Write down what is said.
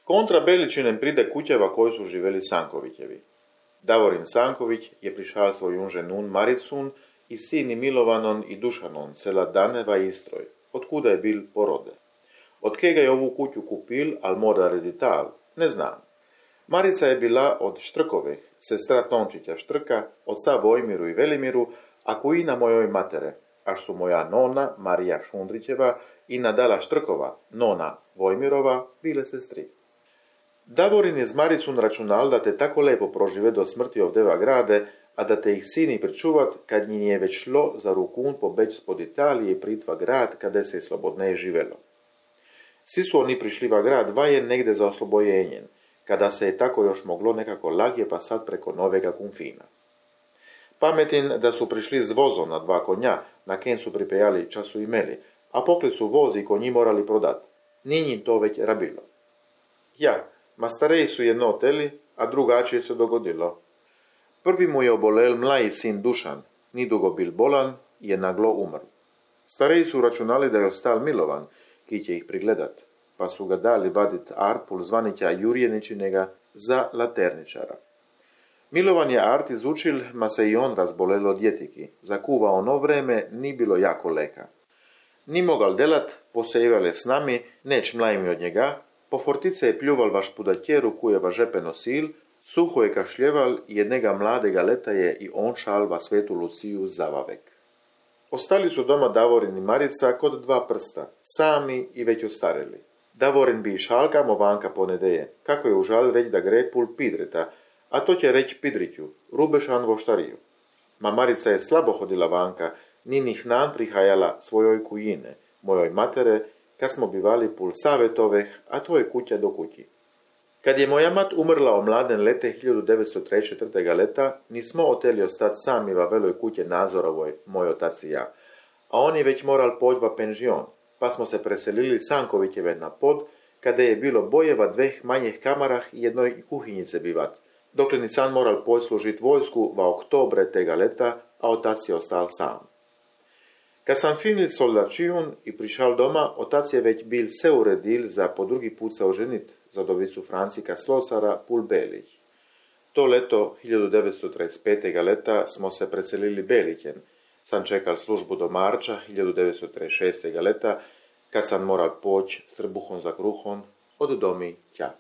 Kontra Beličinem pride kućeva koji su živeli Sankovićevi. Davorin Sanković je prišal svoju ženun Maricun i sini Milovanon i Dušanon, sela Daneva i Istroj, otkuda je bil porode. Od kega je ovu kuću kupil, al mora redital, ne znam. Marica je bila od Štrkovih, sestra Tončića Štrka, oca Vojmiru i Velimiru, a kujina mojoj matere, až su moja nona Marija Šundrićeva i Nadala Štrkova, nona Vojmirova, bile sestri. Davorin je z Maricun računal da te tako lepo prožive do smrti ovdeva grade, a da te ih sini pričuvat, kad njim je već šlo za rukun pobeć spod Italije i pritva grad, kada se je slobodneje živelo. Svi su oni prišli va grad vajen negde za oslobojenjen, kada se je tako još moglo nekako lagje pasat preko novega Kunfina. Pametin da su prišli z vozom na 2 konja, na ken su pripejali času imeli, a pokli su vozi konji morali prodat. Ninjim to već rabilo. Ja, ma stareji su jedno oteli, a drugačije se dogodilo. Prvi mu je obolel mlaji sin Dušan, nidugo bil bolan i je naglo umr. Stareji su računali da je ostal Milovan, ki će ih prigledat, pa su ga dali vadit Artpul zvanića Jurjeničinega za laterničara. Milovan je Art izučil, ma se i on razbolelo od jetiki. Zakuva ono vreme ni bilo jako leka. Ni mogal delat, posejevale s nami, neć mlajmi od njega, po fortice je pljuval vaš pudatjeru kujeva žepe nosil, suho je kašljeval i jednega mladega leta je i on šal va svetu Luciju zavavek. Ostali su doma Davorin i Marica kod 2 prsta, sami i već ostareli. Davorin bi i šalkamo vanka ponedeje, kako je užal reći da gre pul pidreta, a to će reći pidriću, rubešan voštariju. Ma Marica je slabo hodila vanka, ni njih nan prihajala svojoj kujine, mojoj matere, kad smo bivali pul savetoveh, a to je kuća do kući. Kad je moja mat umrla o mladen lete 1903. leta, nismo oteli ostati sami va veloj kuće Nazorovoj, moj otac i ja, a on je već moral poć va penžion, pa smo se preselili Sankovićeve na pod, kada je bilo bojeva 2 manjih kamarah i jednoj kuhinjice bivat, dokle ni san moral poć služit vojsku va oktobre tega leta, a otac je ostal sam. Kad sam finil soldačijun i prišal doma, otac je već bil se uredil za po drugi put se oženit za dovicu Francika Slocara pul Belih. To leto 1935. leta smo se preselili Belićen. Sam čekal službu do marča 1936. leta, kad sam moral poć s trbuhom za kruhom od domi tja.